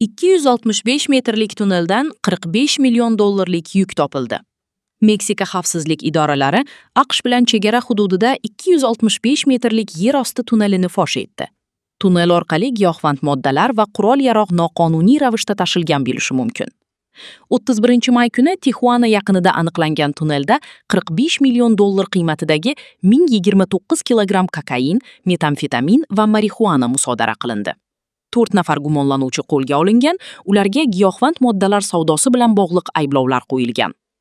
265 metrlik tunneldan 45 million dollarlik yuk topildi. Meksika xavfsizlik idoralari AQSh bilan chegara hududida 265 metrlik yer osti tunnelini fosh etdi. Tunnel orqali giyohvand moddalar va qurol-yarog' noqonuniy ravishda tashilgan bo'lishi mumkin. 31-may kuni Tixuana yaqinida aniqlangan tunnelda 45 million dollar qiymatidagi 1029 kilogramm kokain, metamfetamin va marixuana musodara qilindi. 4 nafar gumonlanuvchi qo'lga olingan, ularga giyohvand moddalar savdosi bilan bog'liq ayblovlar qo'yilgan.